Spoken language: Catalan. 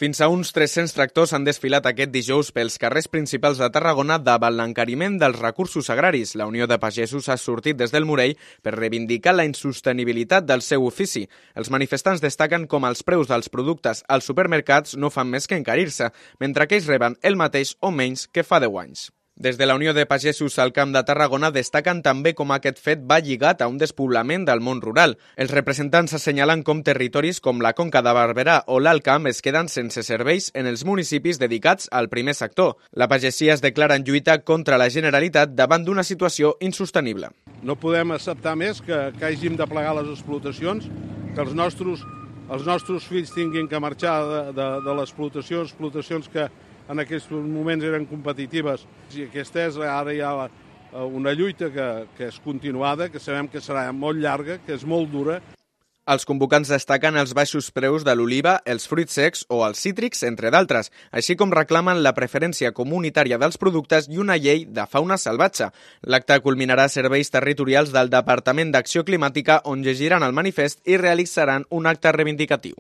Fins a uns 300 tractors han desfilat aquest dijous pels carrers principals de Tarragona davant l'encariment dels recursos agraris. La Unió de Pagesos ha sortit des del Morell per reivindicar la insostenibilitat del seu ofici. Els manifestants destaquen com els preus dels productes als supermercats no fan més que encarir-se, mentre que ells reben el mateix o menys que fa 10 anys. Des de la Unió de Pagesos al Camp de Tarragona destaquen també com aquest fet va lligat a un despoblament del món rural. Els representants assenyalen com territoris com la Conca de Barberà o l'Alt Camp es queden sense serveis en els municipis dedicats al primer sector. La pagesia es declara en lluita contra la Generalitat davant d'una situació insostenible. No podem acceptar més que hàgim de plegar les explotacions, que els nostres fills tinguin que marxar de l'explotació, explotacions que en aquests moments eren competitives. I aquesta és, ara hi ha una lluita que és continuada, que sabem que serà molt llarga, que és molt dura. Els convocants destaquen els baixos preus de l'oliva, els fruits secs o els cítrics, entre d'altres, així com reclamen la preferència comunitària dels productes i una llei de fauna salvatge. L'acte culminarà a serveis territorials del Departament d'Acció Climàtica, on llegiran el manifest i realitzaran un acte reivindicatiu.